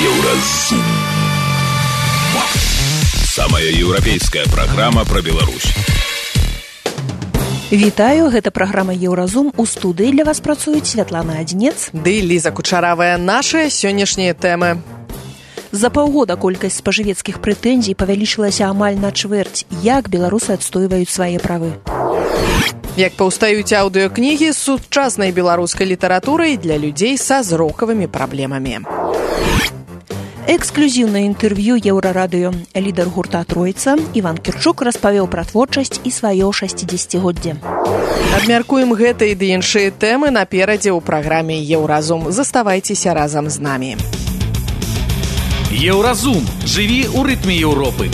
Еўразум. Самая еўрапейская праграма пра Беларусь. Вітаю, гэта праграма Еўразум. У студыі для вас працуюць Святлана Адзінец ды Ліза Кучаравая. Нашыя сённяшнія тэмы. За паўгода колькасць спажывецкіх прэтэнзій павялічылася амаль на чвэрць. Як беларусы адстойваюць свае правы? Як паўстаюць аўдыёкнігі з сучаснай беларускай літаратурай для людзей са зрокавымі праблемамі. Эксклюзіўнае інтэрв'ю Еўрарадыё. Лідар гурта «Тройца» Іван Кірчук распавёў пра творчасць і сваё 60-годдзе. Абмяркуем гэтыя ды іншыя тэмы наперадзе ў праграме Еўразум. Заставайцеся разам з намі. Еўразум. Жыві ў рытме Еўропы.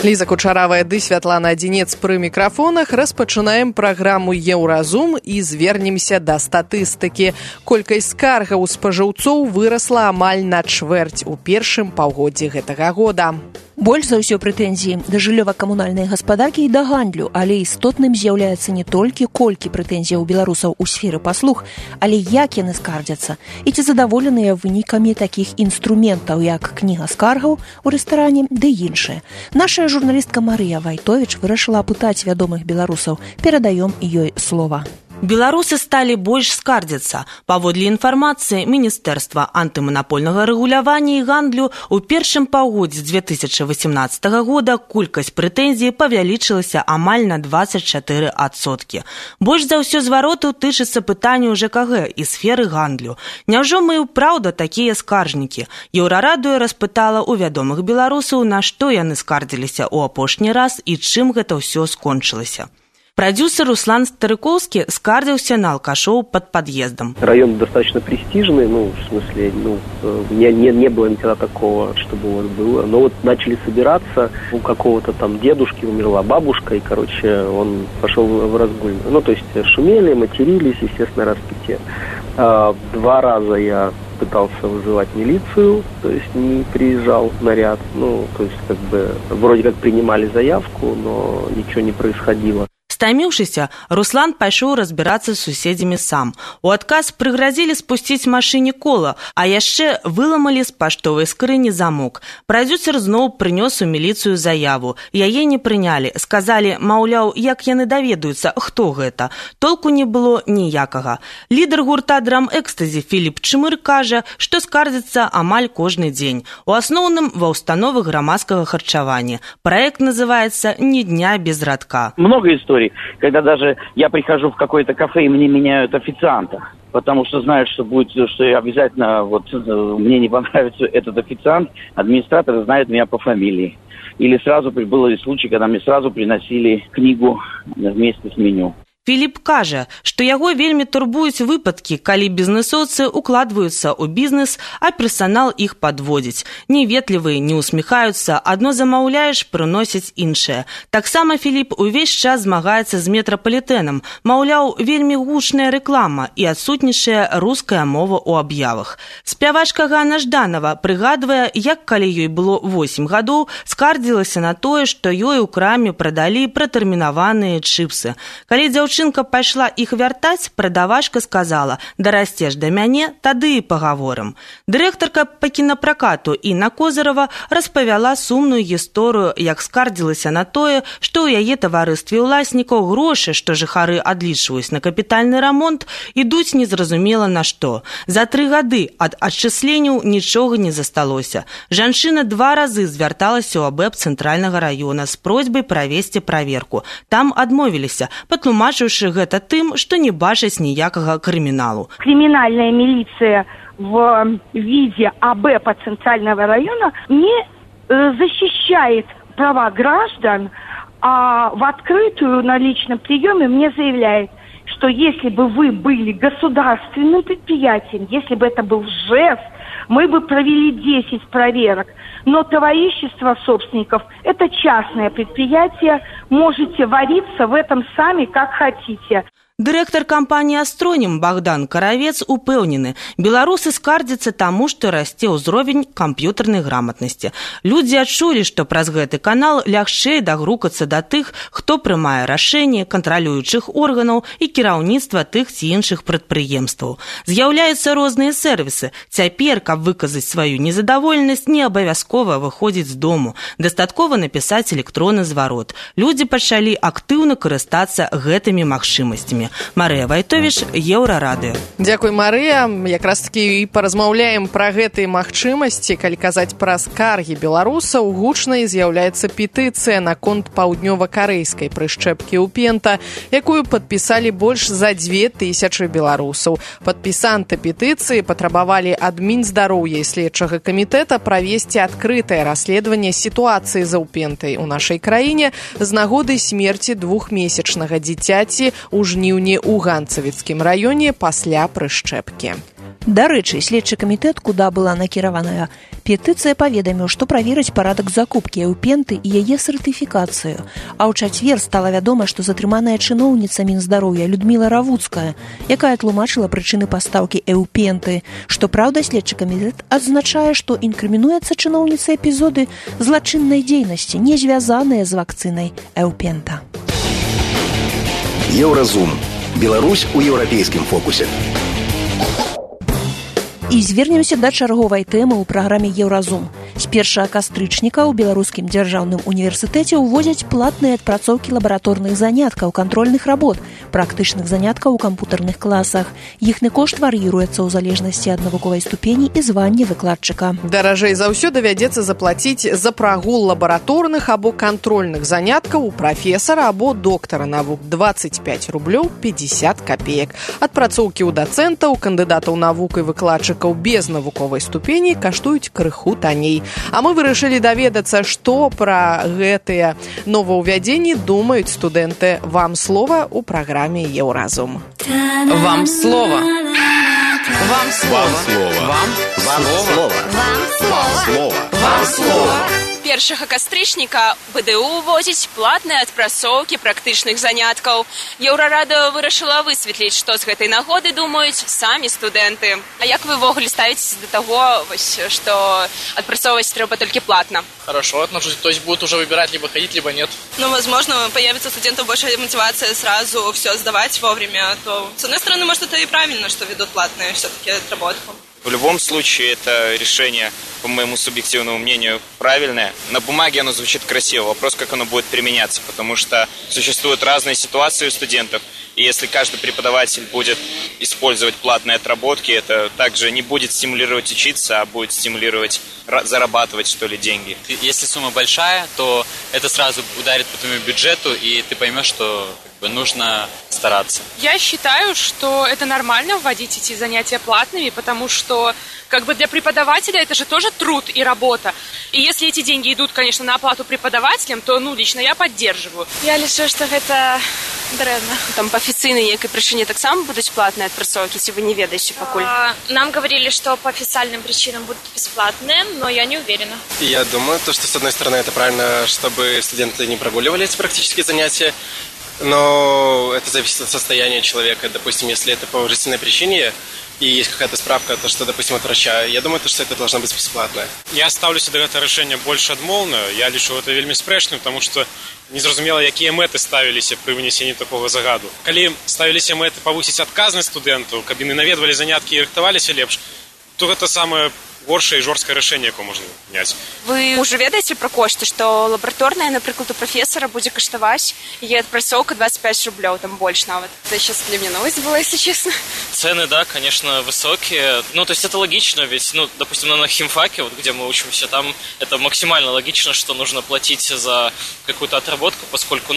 Ліза Кучаравая ды Святлана Адзінец пры мікрафонах. Распачынаем праграму Еўразум і звернемся да статыстыкі. Колькасць скаргаў спажыўцоў вырасла амаль на чвэрць у першым паўгоддзі гэтага года. Больш за ўсё прэтэнзіі да жыллёва-камунальнай гаспадаркі і да гандлю, але істотным з'яўляецца не толькі колькі прэтэнзіяў беларусаў у сферы паслуг, але як яны скардзяцца і ці задаволеныя вынікамі такіх інструментаў, як кніга скаргаў у рэстаране ды іншыя. Наша журналістка Марыя Вайтовіч вырашыла апытаць вядомых беларусаў. Перадаём ёй слова. Беларусы сталі больш скардзяцца. Паводле інфармацыі Міністэрства антыманапольнага рэгулявання і гандлю, у першым паўгоддзі 2018 года колькасць прэтэнзій павялічылася амаль на 24%. Больш за ўсё зваротаў тычыцца пытанняў ЖКГ і сферы гандлю. Няўжо мы праўда такія скаржнікі? Еўрарадыё распытала ў вядомых беларусаў, на што яны скардзіліся ў апошні раз і чым гэта ўсё скончылася. Продюсер Руслан Старыковский скардзіўся на алкашоў под подъездом. Район достаточно престижный, в смысле, не было никогда такого, чтобы вот было. Но вот начали собираться, у какого-то там дедушки умерла бабушка, и, он пошел в разгуль. То есть шумели, матерились, естественно, распитие. 2 раза я пытался вызывать милицию, то есть не приезжал наряд. Вроде как принимали заявку, но ничего не происходило. Стаміўшыся, Руслан пайшоў разбірацца з суседзямі сам. У адказ прыгразілі спусціць машыне кола, а яшчэ выламалі з паштовай скрыні замок. Прадюсер зноў прынёс у міліцыю заяву. Яе не прынялі. Сказалі, маўляў, як яны даведаюцца, хто гэта. Толку не было ніякага. Лідар гурта драм-экстазі Філіп Чмыр кажа, што скардзіцца амаль кожны дзень. У асноўным ва ўстановы грамадскага харчавання. Праект называецца «Ни дня без радка». Много историй, когда даже я прихожу в какое-то кафе, и мне меняют официанта, потому что знают, что обязательно мне не понравится этот официант, администратор знает меня по фамилии. Или сразу были случаи, когда мне сразу приносили книгу вместе с меню. Філіп кажа, што яго вельмі турбуюць выпадкі, калі бізнэсоўцы укладваюцца ў бізнес, а персанал іх падводзіць. Неветлівыя, не усміхаюцца, адно замаўляеш, прыносяць іншае. Таксама Філіп увесь час змагаецца з метрапалітэнам. Маўляў, вельмі гучная рэклама і адсутнічае руская мова ў аб'явах. Спявачка Ганна Жданова прыгадвае, як калі ёй было 8 гадоў, скардзілася на тое, што ёй у краме прадалі пратэрмінаваныя чыпсы. Калі дзяўчынка пайшла іх вяртаць, прадавачка сказала: «Дарасцеш да мяне, тады і пагаворым». Дырэктарка па кінапракату Інна Козырава распавяла сумную гісторыю, як скардзілася на тое, што ў яе таварыстве ўласнікаў грошы, што жыхары адлічваюць на капітальны рамонт, ідуць незразумела на што. За 3 гады ад адчысленняў нічога не засталося. Жанчына 2 разы звярталася ў АБЭП цэнтральнага раёна з просьбай правесці праверку. Там адмовіліся, патлумачыўшы гэта тым, што не бачаць ніякага крыміналу. Криминальная милиция в виде АБЭПа Центрального района не защищает права граждан, а в открытую на личном приеме мне заявляет, что если бы вы были государственным предприятием, если бы это был ЖЭС, мы бы провели 10 проверок. Но товарищество собственников – это частное предприятие, можете вариться в этом сами, как хотите. Дырэктар кампаніі «Астронім» Богдан Каравец упэўнены, беларусы скардзяцца таму, што расце ўзровень камп'ютарнай грамотнасці. Людзі адчулі, што праз гэты канал лягчэй дагрукацца да тых, хто прымае рашэнні кантралюючых органаў і кіраўніцтва тых ці іншых прадпрыемстваў. З'яўляюцца розныя сервісы. Цяпер, каб выказаць сваю незадаволенасць, не абавязкова выходзіць з дому. Дастаткова напісаць электронны зварот. Людзі пачалі актыўна карыстацца гэтымі магчымасцямі. Марыя Вайтовіч, Еўрарадыё. Дзякуй, Марыя. Якраз такі і паразмаўляем пра гэтыя магчымасці. Калі казаць пра скаргі беларусаў, гучнай з'яўляецца петыцыя наконт паўднёва-карэйскай прышчэпкі ўпента, якую падпісалі больш за 2000 беларусаў. Падпісанты петыцыі патрабавалі ад Мінздароўя і следчага камітэта правесці адкрытае расследаванне сітуацыі за ўпентай у нашай краіне з нагоды смерці двухмесячнага дзіцяці ў жніўні ў Ганцавіцкім раёне пасля прышчэпкі. Дарэчы, следчы камітэт, куда была накіраваная петыцыя, паведаміў, што праверыць парадак закупкі эўпенты і яе сертыфікацыю. А ў чацвер стала вядома, што затрыманая чыноўніца Мінздароўя Людміла Равуцкая, якая тлумачыла прычыны пастаўкі эўпенты. Што праўда, следчы камітэт адзначае, што інкрымінуецца чыноўніцы эпізоды злачыннай дзейнасці, не звязаныя з вакцынай эўпента. Еўразум. Беларусь у еўрапейскім фокусе. І звернемся да чарговай тэмы ў праграме «Еўразум». З 1 кастрычніка ў Беларускім дзяржаўным універсітэце ўводзяць платныя адпрацоўкі лабараторных заняткаў, кантрольных работ, практычных заняткаў у кампутарных класах. Іхны кошт вар'іруецца ў залежнасці ад навуковай ступені і звання выкладчыка. Даражэй за ўсё давядзецца заплаціць за прагул лабараторных або кантрольных заняткаў у прафесара або доктара навук 25 рублёў 50 копеек. Адпрацоўкі ў дацэнтаў, кандыдатаў навук і выкладчыкаў без навуковай ступені каштуюць крыху танней. А мы вырашылі даведацца, што пра гэтыя новаўвядзенні думаюць студэнты. Вам слова ў праграме «Еўразум». Вам слово. Вам слово. Вам слово. Вам слово. Вам слово. 1 кастрычніка БДУ увозіць платныя адпрацоўкі практычных заняткаў. Еўрарадыё вырашыла высветліць, што з гэтай нагоды думаюць самі студэнты. А як вы ввогуле ставіцеся да таго, што адпрацоўваць трэба толькі платна? Хорошо отношусь, то есть будут уже выбирать либо ходить, либо нет. Ну, возможно, появится у студентов большая мотивация сразу все сдавать вовремя, то, с одной стороны, может, это и правильно, что ведут платные все-таки отработку. В любом случае, это решение, по моему субъективному мнению, правильное. На бумаге оно звучит красиво. Вопрос, как оно будет применяться, потому что существуют разные ситуации у студентов. И если каждый преподаватель будет использовать платные отработки, это также не будет стимулировать учиться, а будет стимулировать зарабатывать, что ли, деньги. Если сумма большая, то это сразу ударит по твоему бюджету, и ты поймешь, что нужно стараться. Я считаю, что это нормально вводить эти занятия платными, потому что для преподавателя это же тоже труд и работа. И если эти деньги идут, конечно, на оплату преподавателям, то, лично я поддерживаю. Я лічу, что это дрэнна. Там по офіцыйнай некай причине так само будут платные отпрацоўки, если вы не ведаете покуль. Нам говорили, что по официальным причинам будут бесплатные, но я не уверена. Я думаю, что с одной стороны это правильно, чтобы студенты не прогуливали эти практические занятия, но это зависит от состояния человека. Допустим, если это по уважительной причине и есть какая-то справка, то что, допустим, от врача, я думаю, что это должно быть бесплатно. Я ставлюся до гэтага рашэння больш адмоўна. Я лічу гэта вельмі спрэчным, потому что незразумела, якія мэты ставіліся пры вынесенні такога загаду. Калі ставіліся мэты павысіць адказнасць студэнтаў, каб яны наведвалі заняткі і рыхтаваліся лепш, то гэта самае горшае і жорсткае рашэнне, якое можна прыняць. Вы уже ведаеце пра кошты, што лабараторная, напрыклад, у прафесара будзе каштаваць яе адпрацоўка 25 рублёў, там больше нават. Это сейчас для меня новость была, если честно. Цены, да, конечно, высокие. То есть это логично, ведь, допустим, на химфаке, где мы учимся, там это максимально логично, что нужно платить за какую-то отработку, поскольку,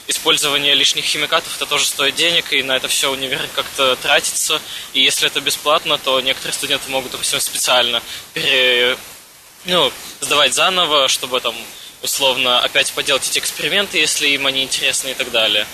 использование лишних химикатов, это тоже стоит денег, и на это все универ как-то тратится. И если это бесплатно, то некоторые студенты могут, допустим, специально сдавать заново, чтобы там условно опять поделать эти эксперименты, если им они интересны и так далее.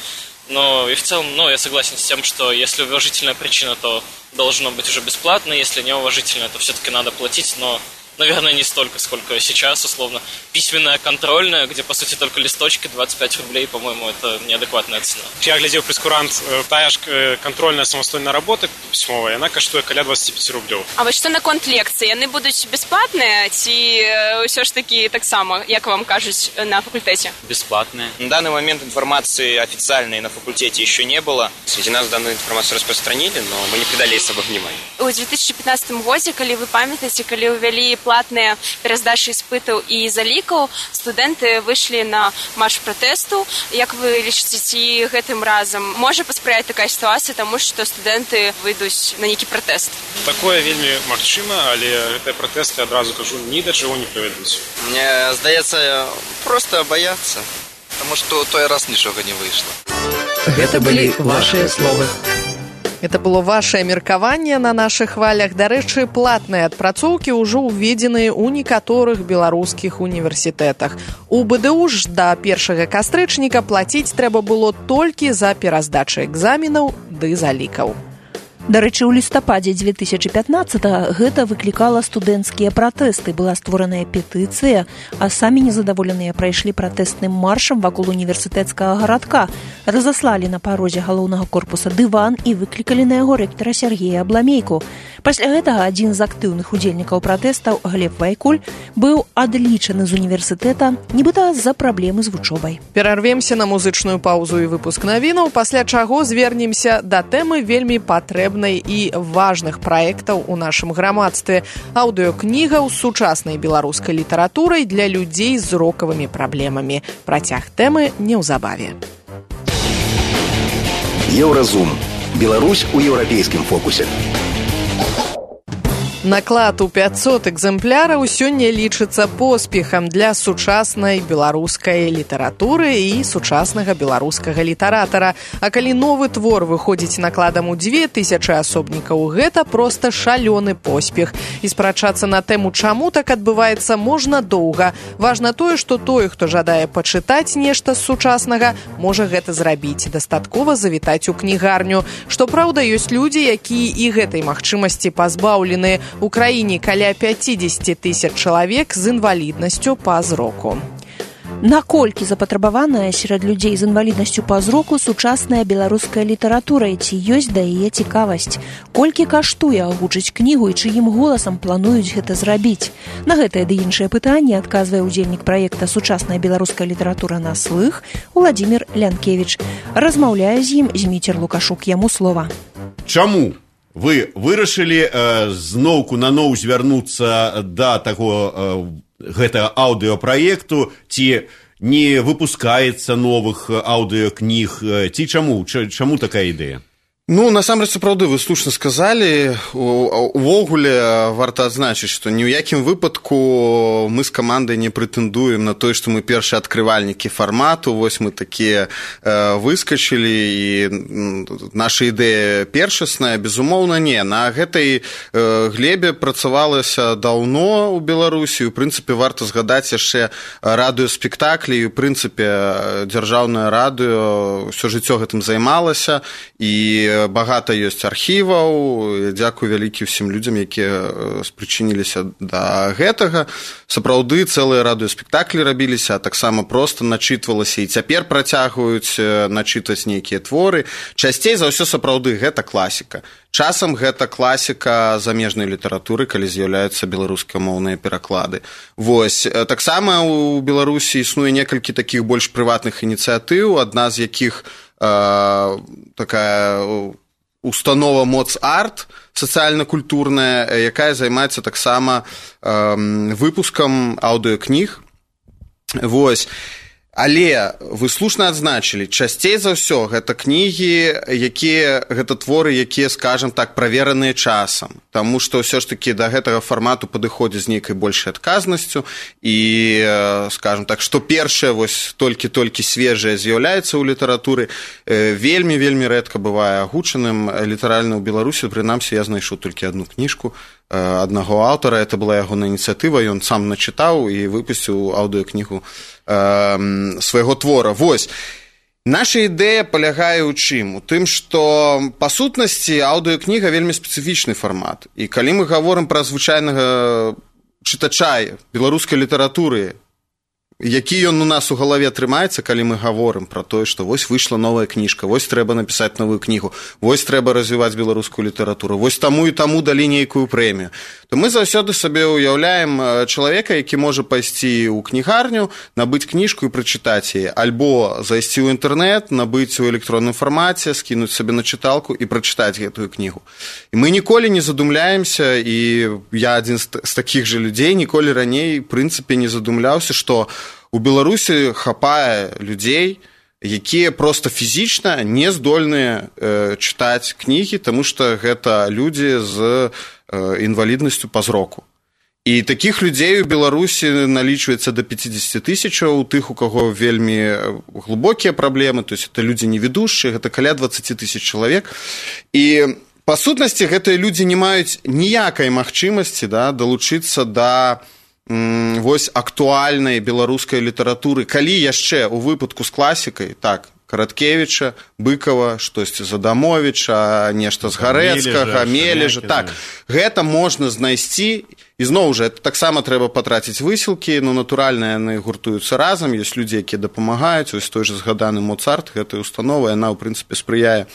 Но и в целом, я согласен с тем, что если уважительная причина, то должно быть уже бесплатно, если неуважительная, то все-таки надо платить, но наверное, не столько, сколько сейчас, условно. Письменная, контрольная, где, по сути, только листочки, 25 рублей, по-моему, это неадекватная цена. Я глядел прескурант, тая ж контрольная самостойная работа письмовая, она каштуе каля 25 рублей. А вот что наконт лекций? Яны будут бесплатные, ці все ж таки так само, як вам кажуть, на факультете? Бесплатные. На данный момент информации официальной на факультете еще не было. Среди нас данную информацию распространили, но мы не придали ей особо внимания. У 2015 годзе, калі вы памятаеце, калі ўвялі платныя пераздачы іспытаў і залікаў, студэнты выйшлі на марш пратэсту. Як вы лічыце, ці гэтым разам можа паспрыяць такая сітуацыя, таму што студэнты выйдуць на нейкі пратэст? Такое вельмі магчыма, але гэтыя пратэсты, адразу кажу, ні да чаго не прывядуць. Мне здаецца, просто бояться, потому что той раз нічога не выйшла. Гэта былі вашыя словы. Это было ваше меркаванне на нашых хвалях. Дарэчы, платныя адпрацоўкі ўжо ўведзеныя ў некаторых беларускіх універсітэтах. У БДУ ж да 1 кастрычніка плаціць трэба было толькі за пераздачы экзаменаў ды залікаў. Дарэчы, у лістападзе 2015-го гэта выклікала студэнцкія пратэсты. Была створаная петыцыя, а самі незадаволеныя прайшлі пратэстным маршам вакол універсітэцкага гарадка, разаслалі на парозе галоўнага корпуса дыван і выклікалі на яго рэктара Сергея Абламейку. Пасля гэтага адзін з актыўных удзельнікаў пратэстаў, Глеб Вайкуль, быў адлічаны з універсітэта, нібыта з-за праблемы з вучобай. Перарвемся на музычную паузу і выпуск навінаў, пасля чаго звернемся да тэмы вельмі патрэбнай і важных праектаў у нашым грамадстве. Аўдыёкніга з сучаснай беларускай літаратурай для людзей з зрокавымі праблемамі. Працяг тэмы неўзабаве. Еўразум. Беларусь у еўрапейскім фокусе. Наклад у 500 экземпляраў сёння лічыцца поспехам для сучаснай беларускай літаратуры і сучаснага беларускага літаратара. А калі новы твор выходзіць накладам у 2000 асобнікаў, гэта проста шалёны поспех. І спрачацца на тэму, чаму так адбываецца, можна доўга. Важна тое, што той, хто жадае пачытаць нешта з сучаснага, можа гэта зрабіць. Дастаткова завітаць у кнігарню. Што праўда, ёсць людзі, якія і гэтай магчымасці пазбаўлены. У краіне каля 50 000 чалавек з інваліднасцю па зроку. Наколькі запатрабаваная сярод людзей з інваліднасцю па зроку сучасная беларуская літаратура, і ці ёсць да яе цікавасць? Колькі каштуе агучыць кнігу і чыім голасам плануюць гэта зрабіць? На гэтае ды іншыя пытанні адказвае ўдзельнік праекта «Сучасная беларуская літаратура на слых» Уладзімір Лянкевіч. Размаўляе з ім Зміцер Лукашук. Яму слова. Чаму вы вырашылі зноўку наноў звярнуцца да таго гэтага аўдыёпраекту, ці не выпускаецца новых аўдыёкніг, ці чаму такая ідэя? Ну, насамрэч, сапраўды, вы слушна сказалі. Увогуле варта адзначыць, што ні ў якім выпадку мы з камандай не прэтэндуем на тое, што мы першыя адкрывальнікі фармату. Вось мы такія выскачылі, і наша ідэя першасная, безумоўна, не. На гэтай глебе працавалася даўно ў Беларусі. У прынцыпе, варта згадаць яшчэ радыёспектаклі. У прынцыпе, дзяржаўнае радыё ўсё жыццё гэтым займалася, і багата ёсць архіваў. Дзякуй вялікі ўсім людзям, якія спрычыніліся да гэтага. Сапраўды, цэлыя радыёспектаклі рабіліся, а таксама проста начытвалася, і цяпер працягваюць начытваць нейкія творы. Часцей за ўсё сапраўды гэта класіка. Часам гэта класіка замежнай літаратуры, калі з'яўляюцца беларускамоўныя пераклады. Вось. Таксама ў Беларусі існуе некалькі такіх больш прыватных ініцыятыў, адна з якіх такая установа МОЦ-Арт, сацыяльна-культурная, якая займаецца таксама выпускам аўдыёкніг. Вось. Але вы слушна адзначылі, часцей за ўсё гэта кнігі, гэта творы, якія, скажам так, правераныя часам. Таму што ўсё ж такі да гэтага фармату падыходзіць з нейкай большай адказнасцю, і, скажам так, што першае вось толькі свежае з'яўляецца ў літаратуры, вельмі рэдка бывае агучаным. Літаральна ў Беларусі, прынамсі, я знайшоў толькі адну кніжку аднаго аўтара, это была ягоная ініцыятыва, ён сам начытаў і выпусціў аўдыёкнігу свайго твора. Вось. Наша ідэя палягае ў чым? У тым, што па сутнасці аўдыёкніга вельмі спецыфічны фармат. І калі мы гаворым пра звычайнага чытача беларускай літаратуры, які ён у нас у галаве трымаецца, калі мы гаворым пра тое, што вось выйшла новая кніжка, вось трэба напісаць новую кнігу, вось трэба развіваць беларускую літаратуру, вось таму і таму далі нейкую прэмію, то мы заўсёды сабе ўяўляем чалавека, які можа пайсці ў кнігарню, набыць кніжку і прачытаць яе, альбо зайсці ў інтэрнэт, набыць у электронным фармаце, скінуць сабе на чыталку і прачытаць гэтую кнігу. І мы ніколі не задумляемся, і я адзін з такіх жа людзей, ніколі раней, в прынцыпе, не задумляўся, што у Беларусі хапае людзей, якія проста фізічна не здольныя чытаць кнігі, таму што гэта людзі з інваліднасцю па зроку. І такіх людзей у Беларусі налічваецца да 50 тысячаў, у тых, у каго вельмі глыбокія праблемы, то есть это людзі невідушчыя, гэта каля 20 тысяч чалавек. І па сутнасці гэтыя людзі не маюць ніякай магчымасці далучыцца да вось актуальнай беларускай літаратуры, калі яшчэ у выпадку з класікай, так, Караткевіча, Быкова, штосьці з Адамовіча, нешта з Гарэцкага, Мележа, так, гэта можна знайсці, і зноў жа, таксама трэба патраціць высілкі, но натуральна яны гуртуюцца разам, ёсць людзі, якія дапамагаюць, ось той жа згаданы Моцарт, гэтая установа, яна, ў прынцыпе, спрыяе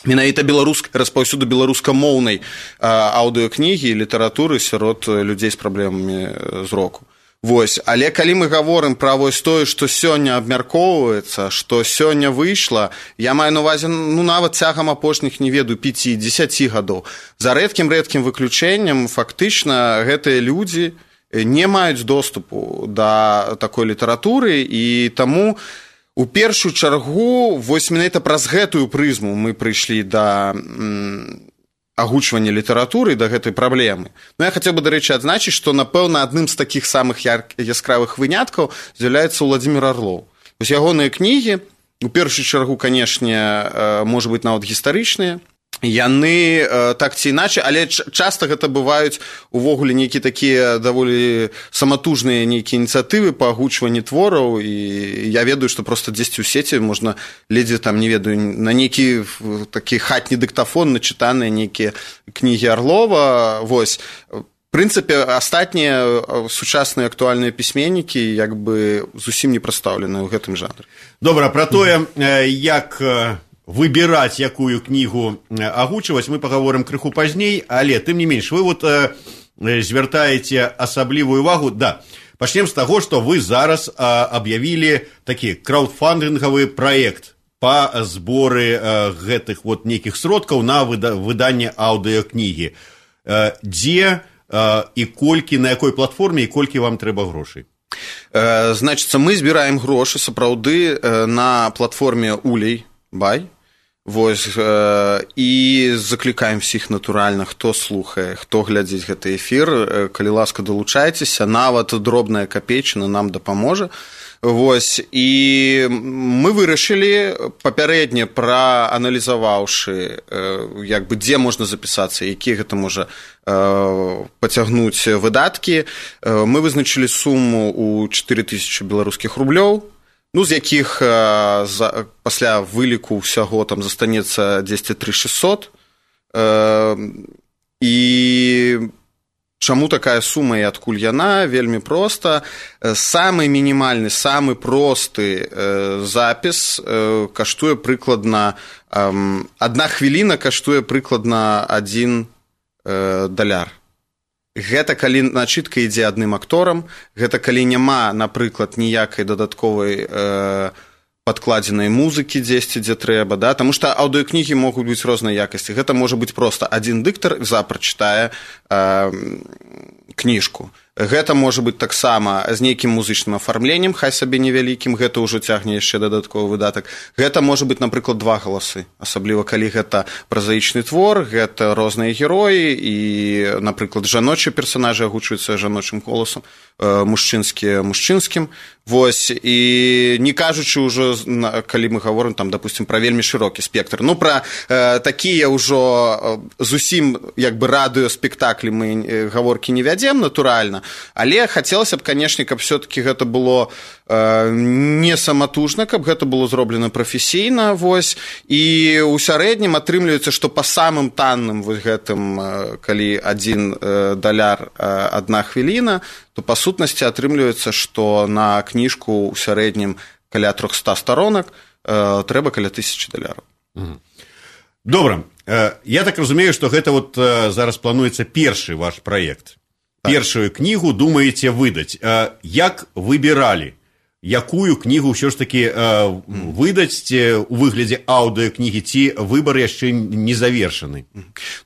менавіта распаўсюду беларускамоўнай аўдыёкнігі і літаратуры сярод людзей з праблемамі зроку. Вось, але калі мы гаворым пра вось тое, што сёння абмяркоўваецца, што сёння выйшла, я маю на ўвазе, нават цягам апошніх, не ведаю, 5-10 гадоў. За рэдкім выключэннем, фактычна, гэтыя людзі не маюць доступу да такой літаратуры, і таму у першую чаргу, вось менавіта праз гэтую прызму мы прыйшлі да агучвання літаратуры, да гэтай праблемы. Я хацеў бы, дарэчы, адзначыць, што, напэўна, адным з такіх самых яскравых выняткаў з'яўляецца Уладзімір Арлоў. Вось ягоныя кнігі, у першую чаргу, канешне, можа быць, нават гістарычныя, яны так ці іначай, але часта гэта бываюць увогуле нейкія такія даволі саматужныя нейкія ініцыятывы па агучванні твораў, і я ведаю, што проста дзесьці ў сеці можна ледзьве там, не ведаю, на нейкі такі хатні дыктафон начытаныя нейкія кнігі Арлова. Вось, в прынцыпе, астатнія сучасныя актуальныя пісьменнікі як бы зусім не прадстаўленыя ў гэтым жанры. Добра, пра тое, як выбіраць, якую кнігу агучваць, мы пагаворым крыху пазней, але, тым не менш, вы вот звяртаеце асаблівую увагу. Да, пачнем з таго, што вы зараз аб'явілі такі краўдфандынгавы праект па зборы гэтых вот нейкіх сродкаў на выданне аўдыёкнігі. Дзе і колькі, на якой платформе і колькі вам трэба грошай? Значыцца, мы збіраем грошы, сапраўды, на платформе Улей-Бай. Вось, і заклікаем всіх натуральна, хто слухае, хто глядзіць гэты эфір, калі ласка, далучайцеся, нават дробная капейчына нам дапаможа. Вось, і мы вырашылі, папярэдне прааналізаваўшы, як бы, дзе можна запісацца, якія гэта можа пацягнуць выдаткі, мы вызначылі суму ў 4000 беларускіх рублёў, з якіх пасля выліку ўсяго там застанецца 10-3600. І чаму такая сума і адкуль яна? Вельмі проста. Самы мінімальны, самы просты запіс каштуе прыкладна, 1 хвіліна каштуе прыкладна $1. Гэта калі начытка ідзе адным акторам, гэта калі няма, напрыклад, ніякай дадатковай падкладзенай музыкі дзесьці, дзе трэба, да? Таму што аўдыёкнігі могуць быць рознай якасці. Гэта можа быць проста адзін дыктар прачытае кніжку. Гэта можа быць таксама з нейкім музычным афармленнем, хай сабе невялікім, гэта ўжо цягне яшчэ дадатковы выдатак. Гэта можа быць, напрыклад, 2 галасы, асабліва калі гэта празаічны твор, гэта розныя героі і, напрыклад, жаночыя персанажы агучваюцца жаночым голасам, мужчынскія мужчынскім. Вось, і не кажучы ўжо, калі мы гаворым, там, допустим, пра вельмі шырокі спектр. Пра такія ўжо зусім, як бы, радыёспектаклі мы гаворкі не вядзем, натуральна, Але хацелася б, канешне, каб все-таки гэта было не саматужна, каб гэта было зроблена прафесійна, вось, і ў сярэднім атрымліваецца, што па самым танным вось гэтым, калі $1, 1 хвіліна, то па сутнасці атрымліваецца, што на кніжку ў сярэднім каля 300 сторонак трэба каля $1000. Добра. Я так разумею, што гэта вот зараз плануецца першы ваш праект. Першую кнігу думаеце выдаць. Як выбіралі? Якую кнігу ўсё ж такі выдаць у выглядзе аўдыёкнігі, ці выбар яшчэ не завершаны?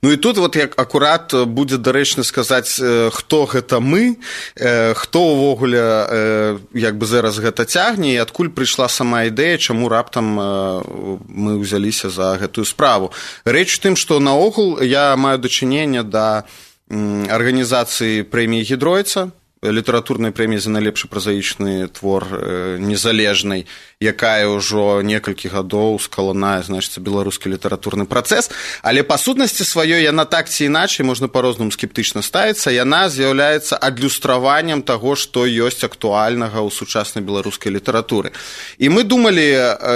Ну і тут вот як акурат будзе дарэчна сказаць, хто гэта мы, хто ўвогуле як бы зараз гэта цягне, і адкуль прыйшла сама ідэя, чаму раптам мы ўзяліся за гэтую справу. Рэч у тым, што наогул я маю дачыненне да арганізацыі прэміі Гідройца, літаратурнай прэміі за найлепшы празаічны твор незалежнай, якая ўжо некалькі гадоў скаланае, значыцца, беларускі літаратурны працэс, але па сутнасці сваёй яна так ці іначай, можна па-рознаму скептычна ставіцца, яна з'яўляецца адлюстраваннем таго, што ёсць актуальнага ў сучаснай беларускай літаратуры. І мы думалі,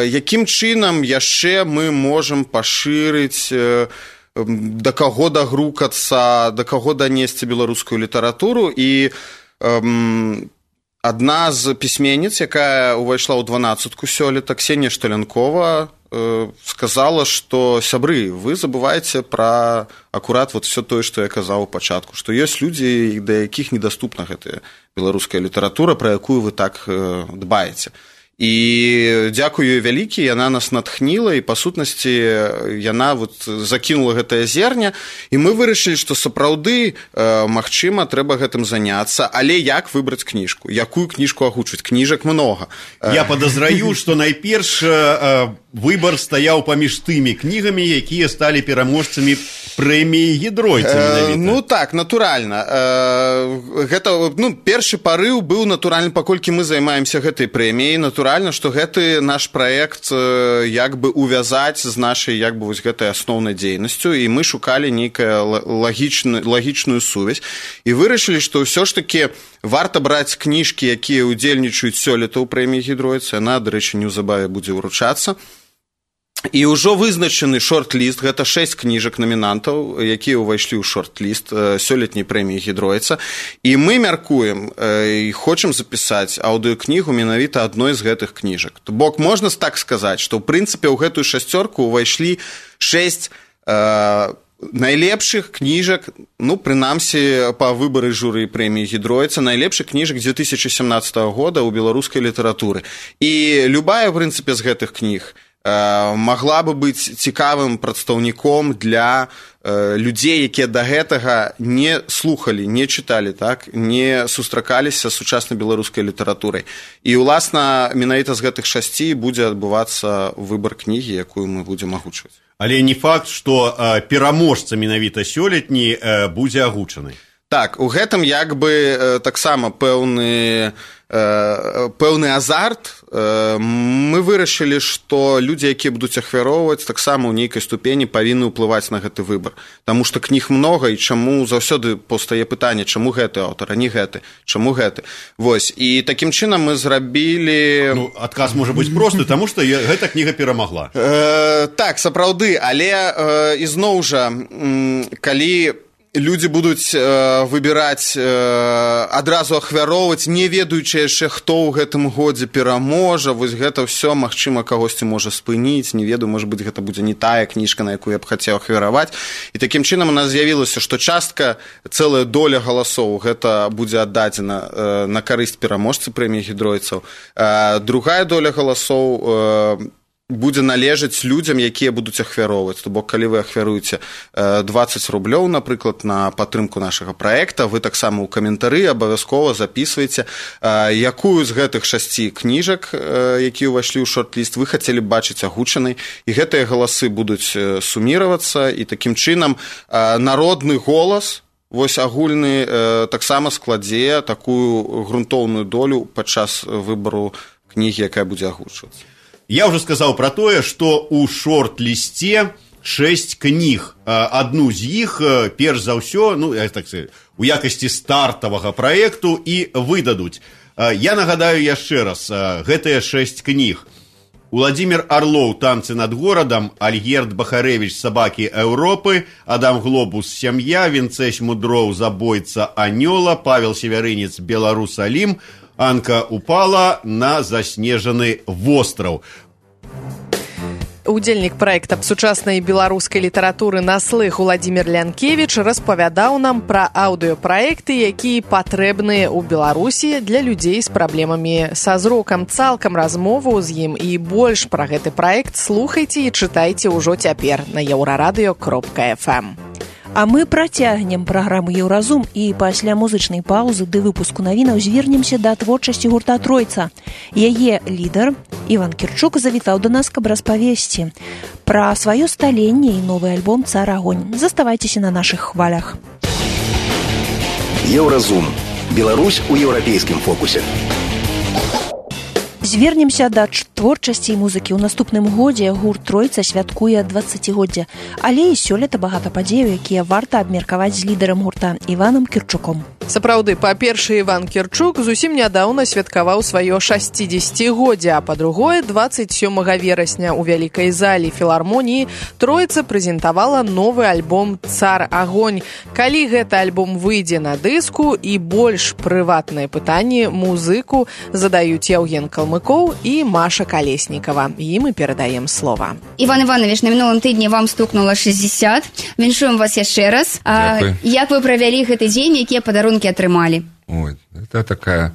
якім чынам яшчэ мы можам пашырыць, да каго дагрукацца, да каго данесці беларускую літаратуру, і адна з пісьменніц, якая ўвайшла ў 12-ку сёлета, Ксенія Шталянкова, сказала, што сябры, вы забываеце пра акурат вот все тое, што я казаў у пачатку, што ёсць людзі, да якіх недаступна гэтая беларуская літаратура, пра якую вы так дбаеце. І дзякую вялікі, яна нас натхніла, і па сутнасці яна вот закінула гэтае зерня, і мы вырашылі, што сапраўды магчыма трэба гэтым заняцца, але як выбраць кніжку, якую кніжку агучваць? Кніжак многа. Я падазраю, што найперш выбар стаяў паміж тымі кнігамі, якія сталі пераможцамі прэміі Гідройца. Ну так, натуральна. Гэта, першы парыў быў натуральны, паколькі мы займаемся гэтай прэміяй, натуральна, што гэты наш праект як бы увязаць з нашай як бы вось гэтай асноўнай дзейнасцю, і мы шукалі нейкую лагічную сувязь і вырашылі, што ўсё ж такі варта браць кніжкі, якія ўдзельнічаюць сёлета ў прэміі Гідройца. Яна, дарэчы, неўзабаве будзе ўручацца. І ўжо вызначаны шорт-ліст, гэта 6 кніжак намінантаў, якія ўвайшлі ў шорт-ліст сёлетняй прэміі Гідройца. І мы мяркуем і хочам запісаць аўдыёкнігу менавіта адной з гэтых кніжак. То бок можна так сказаць, што ў прынцыпе ў гэтую шасцёрку ўвайшлі 6 найлепшых кніжак, прынамсі па выбары журы прэміі Гідройца, найлепшых кніжак 2017 года ў беларускай літаратуры. І любая, в прынцыпе, з гэтых кніг магла бы быць цікавым прадстаўніком для людзей, якія да гэтага не слухалі, не чыталі, так, не сустракаліся з сучаснай беларускай літаратурай. І, уласна, менавіта з гэтых 6 будзе адбывацца выбар кнігі, якую мы будзем агучваць. Але не факт, што пераможца менавіта сёлетні будзе агучаны. Так, у гэтым як бы таксама пэўны азарт. Мы вырашылі, што людзі, якія будуць ахвяроўваць, таксама ў нейкай ступені павінны ўплываць на гэты выбар. Таму што кніг многа, і чаму заўсёды паўстае пытанне, чаму гэты аўтар, а не гэты, чаму гэты. Вось, і такім чынам мы зрабілі... Адказ можа быць просты, таму што гэта кніга перамагла. Так, сапраўды, але ізноў жа, калі людзі будуць выбіраць, адразу ахвяроўваць, не ведаючы яшчэ, хто ў гэтым годзе пераможа, вось гэта ўсё, магчыма, кагосьці можа спыніць, не ведаю, можа быць, гэта будзе не тая кніжка, на якую я б хацеў ахвяраваць. І такім чынам у нас з'явілася, што частка, цэлая доля галасоў, гэта будзе аддадзена на карысць пераможцы прэміі Гідройцаў. Другая доля галасоў будзе належаць людзям, якія будуць ахвяроўваць. То бок, калі вы ахвяруеце 20 рублёў, напрыклад, на падтрымку нашага праекта, вы таксама ў каментары абавязкова записываеце, якую з гэтых 6 кніжак, якія ўвайшлі ў шорт-ліст, вы хацелі б бачыць агучанай, і гэтыя галасы будуць суміравацца, і такім чынам народны голас, вось агульны, таксама складзе такую грунтоўную долю падчас выбару кнігі, якая будзе агучвацца. Я ўжо сказаў пра тое, што ў шорт-лісце 6 кніг. Адну з іх, перш за ўсё, ну, так сказать, у якасці стартавага праекту і выдадуць. Я нагадаю яшчэ раз, гэтыя 6 кніг. Уладзімир Орлоў «Танцы над горадам», Альгерд Бахарэвіч «Сабакі Еўропы», Адам Глобус «Сям'я», Вінцэсь Мудроў «Забойца Анёла», Павел Севярынец «Беларусалім», Анка упала на заснежаны востраў. Удзельнік праекта сучаснай беларускай літаратуры на слых Уладзімир Лянкевіч распавядаў нам пра аўдыёпраекты, якія патрэбныя ў Беларусі для людзей з праблемамі са зрокам. Цалкам размову з ім і больш пра гэты праект слухайце і чытайце ўжо цяпер на euradio.fm. А мы працягнем праграму «Еўразум» і пасля музычнай паўзы ды выпуску навінаў звернемся да творчасці гурта «Тройца». Яе лідар Іван Кірчук завітаў да нас, каб распавесці пра сваё сталенне і новы альбом «Цар Агонь». Заставайцеся на нашых хвалях. «Еўразум». Беларусь у еўрапейскім фокусе. Звернемся да творчасці і музыкі. У наступным годзе гурт «Тройца» святкуе 20-годдзе. Але і сёлета багата падзеяў, якія варта абмеркаваць з лідарам гурта Іванам Кірчуком. Сапраўды, па-першае, Іван Кірчук зусім нядаўна святкаваў сваё 60-годдзе, а па-другое, 27 верасня ў вялікай зале філармоніі Тройца прэзентавала новы альбом «Цар Агонь». Калі гэты альбом выйдзе на дыску, і больш прыватныя пытанні музыку задаюць Яўген Калмыкоў і Маша Калеснікава. Ім і перадаем слова. Іван Іванович, на мінулым тыдні вам стукнула 60. Віншуем вас яшчэ раз. Як вы правялі гэты дзень, якія падарункі атрымалі? Ой, это такая,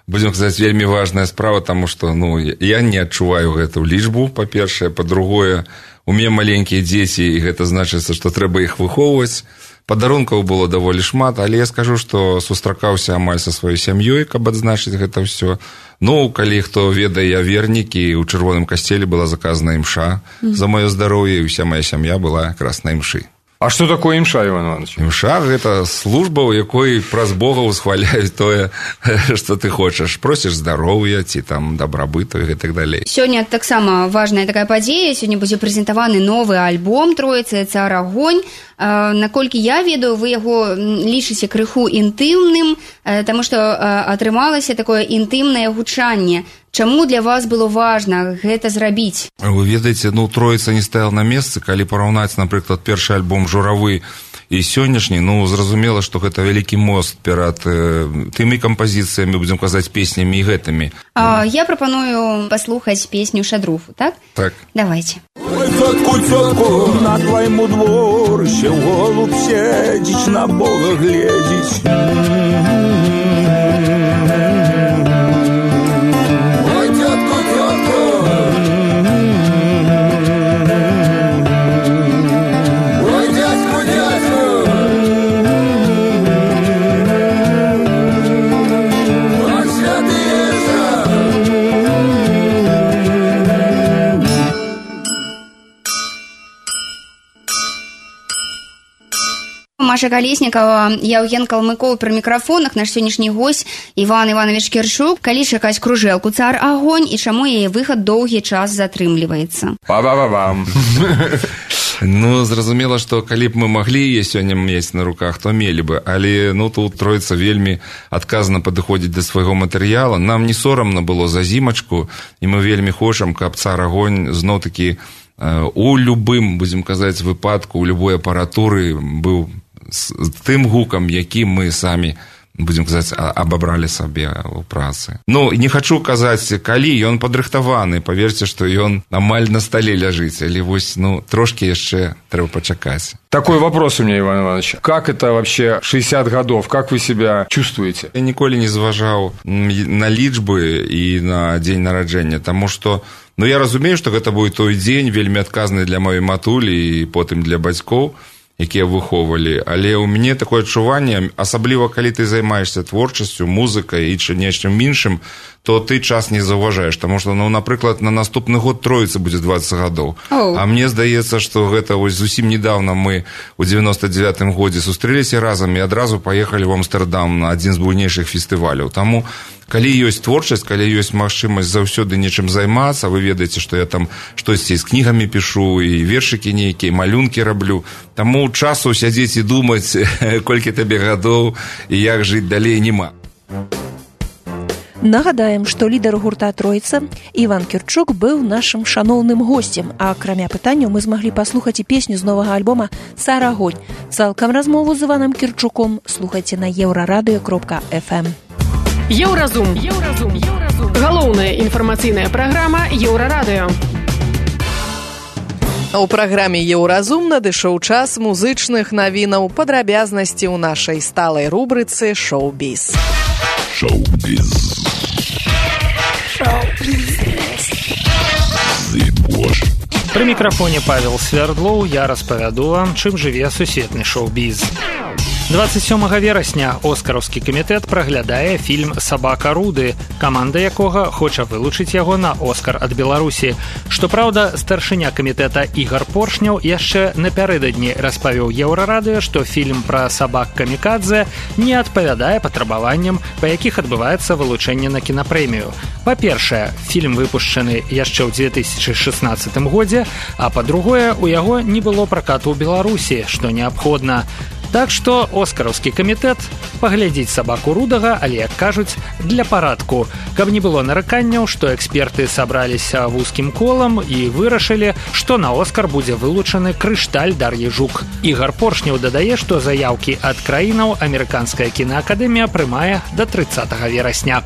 будем сказать, вельмі важная справа, потому что, я не адчуваю гэту лічбу, па-першае, па-другое, у мяне маленькія дзеці, і гэта значыцца, што трэба іх выхоўваць. Падарункаў было даволі шмат, але я скажу, што сустракаўся амаль са сваёй сям'ёй, каб адзначыць гэта ўсё. Калі хто ведае, я вернік, і ў чырвоным касцеле была заказана імша за маё здароўе, і ўся моя сям'я была якраз на імшы. А што такое імша, Іван Іванович? Імша – гэта служба, у якой праз Бога ўсхваляюць тое, што ты хочаш. Просіш здароўя, ці там дабрабыту і гэтак далей. Сёння таксама важная такая падзея. Сёння будзе прэзентаваны новы альбом «Тройца» «Цар Агонь». Наколькі я ведаю, вы яго лічыце крыху інтымным, таму што атрымалася такое інтымнае гучанне. Чаму для вас было важна гэта зрабіць? Вы ведаеце, Тройца не стаял на месцы. Калі параўнаць, напрыклад, першы альбом «Журавы» і сённяшні, зразумела, што гэта вялікі мост перад тымі кампазіцыямі, будзем казаць, песнямі і гэтымі. Я прапаную паслухаць песню «Шадруфу», так? Так. Давайте. Ой, цётку, на твайму дворыще голуб сядзіць, на Бога гледзіць. Маша Калеснікава, Яўген Калмыкоў пры мікрафонах, наш сённяшні госць Іван Іванович Кірчук. Калі чакаць кружэлку «Цар Агонь» і чаму яе выхад доўгі час затрымліваецца? Па-ба-ба-бам. Зразумела, што калі б мы маглі яе сёння мець на руках, то мелі бы. Але тут Тройца вельмі адказна падыходзіць да свайго матэрыяла. Нам не сорамна было за зімачку, і мы вельмі хочам, каб «Цар Агонь» зноў-такі у любым, будзем казаць, выпадку, у любой апаратуры быў з тым гукам, які мы самі, будзем казаць, абабралі сабе ў працы. Не хачу казаць, калі ён падрыхтаваны, паверце, што ён амаль на стале ляжыць, але трошки яшчэ трэба пачакаць. Такой вопрос у меня, Иван Иванович. Как это вообще 60 годов? Как вы себя чувствуете? Я ніколі не зважаў на лічбы і на дзень нараджэння, таму што я разумею, што гэта будзе той дзень вельмі адказны для маёй матулі і потым для бацькоў, якія выхоўвалі, але ў мяне такое адчуванне, асабліва калі ты займаешся творчасцю, музыкай і нечым іншым, то ты час не заўважаеш, таму што, ну, напрыклад, на наступны год Троіцы будзе 20 гадоў. А мне здаецца, што гэта вось зусім недавно мы у 99-м годзе сустрэліся разам і адразу паехалі ў Амстэрдам на адзін з буйнейшых фестываляў. Таму калі ёсць творчасць, калі ёсць магчымасць заўсёды нечым займацца, вы ведаеце, што я там штосьці з кнігамі пішу, і вершыкі нейкія, малюнкі раблю. Таму часу сядзець і думаць, колькі табе гадоў і як жыць далей, нема. Нагадаем, што лідар гурта «Троіца» Іван Кірчук быў нашым шаноўным госцем, а акрамя пытанняў мы змаглі паслухаць і песню з новага альбома «Сарагонь». Цалкам размову з Іванам Кірчуком слухайце на еўрарадыё.фм. Еўразум. Галоўная інфармацыйная праграма Еўрарадыё. У праграме «Еўразум» надышоў час музычных навінаў, падрабязнасці ў нашай сталай рубрыцы «Шоу-біз». Шоу-біз. Пры мікрафоне Павел Свердлоў, я распавяду вам, чым жыве сусветны шоу-біз. 27 верасня Оскараўскі камітэт праглядае фільм «Сабака Руды», каманда якога хоча вылучыць яго на Оскар ад Беларусі. Што праўда, старшыня камітэта Ігар Поршняў яшчэ напярэдадні распавіў Еўрарадыё, што фільм пра сабак камікадзе не адпавядае патрабаванням, па якіх адбываецца вылучэнне на кінапрэмію. Па-першае, фільм выпушчаны яшчэ ў 2016 годзе, а па-другое, у яго не было пракату ў Беларусі, што неабходна. Так што Оскараўскі камітэт паглядзіць «Сабаку Рудага», але, як кажуць, для парадку, каб не было нараканняў, што эксперты сабраліся вузкім колам і вырашылі, што на Оскар будзе вылучаны «Крышталь» Дар'і Жук. Ігар Поршняў дадае, што заяўкі ад краінаў амерыканская кінаакадэмія прымае да 30 верасня.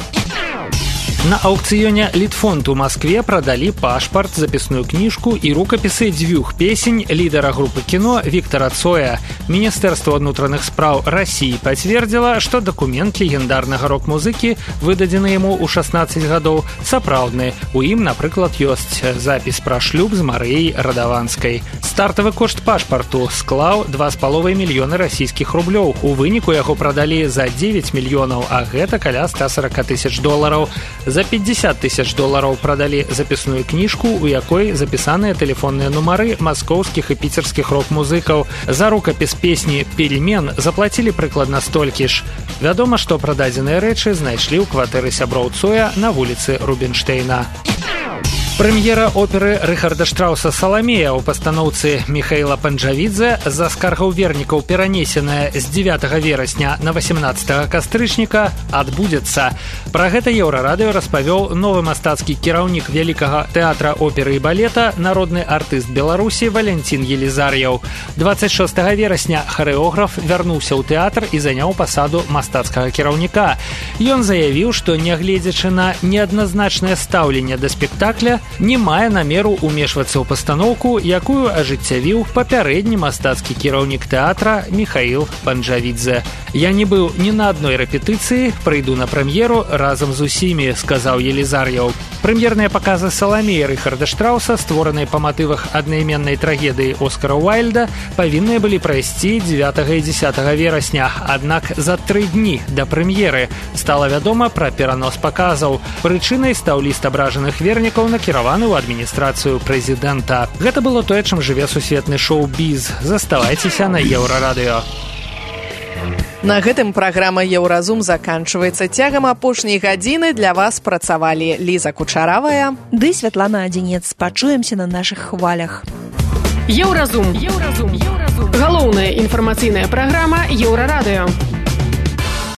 На аукцыёне «Літфонд» у Маскве прадалі пашпарт, запісную кніжку і рукапісы дзвюх песень лідара групы кіно Віктара Цоя. Міністэрства ўнутраных спраў Расіі пацвердзіла, што дакумент легендарнага рок-музыкі, выдадзены яму ў 16 гадоў, сапраўдны. У ім, напрыклад, ёсць запіс пра шлюб з Марыяй Радаванскай. Стартавы кошт пашпарту склаў 2,5 мільёны расійскіх рублёў. У выніку яго прадалі за 9 мільёнаў, а гэта каля $140 000. За $50 000 прадалі запісную кніжку, у якой запісаныя тэлефонныя нумары маскоўскіх і піцерскіх рок-музыкаў. За рукапіс песні «Пельмен» заплацілі прыкладна столькі ж. Вядома, што прададзеныя рэчы знайшлі ў кватэры сяброў Цоя на вуліцы Рубінштейна. Прэм'ера оперы Рыхарда Штрауса «Саламея» ў пастаноўцы Міхаіла Панджавідзе з-за скаргаў вернікаў перанесеная з 9 верасня на 18 кастрычніка адбудзецца. Пра гэта Еўрарадыё распавёў новы мастацкі кіраўнік вялікага тэатра оперы і балета, народны артыст Беларусі Валянцін Елізар'яў. 26 верасня харэограф вярнуўся ў тэатр і заняў пасаду мастацкага кіраўніка. Ён заявіў, што нягледзячы на неадназначнае стаўленне да спектакля, не мае намеру ўмешвацца ў пастаноўку, якую ажыццявіў папярэдні мастацкі кіраўнік тэатра Міхаіл Панджавідзе. «Я не быў ні на адной рэпетыцыі, прыйду на прэм'еру разам з усімі», сказаў Елізар'яў. Прэм'ерныя паказы «Саламеі» Рыхарда Штрауса, створаныя па матывах аднайменнай трагедыі Оскара Уайльда, павінны былі прайсці 9 і 10 верасня. Аднак за 3 дні да прэм'еры стала вядома пра перанос паказаў. Прычынай стаў ліст абражаных вернікаў, накіраваны ў адміністрацыю прэзідэнта. Гэта было тое, чым жыве сусветны шоу-біз. Заставайцеся на Еўрарадыё. На гэтым праграма «Еўразум» заканчваецца. Цягам апошняй гадзіны для вас працавалі Ліза Кучаравая ды Святлана Адзінец. Пачуемся на нашых хвалях. Еўразум. Галоўная інфармацыйная праграма Еўрарадыё.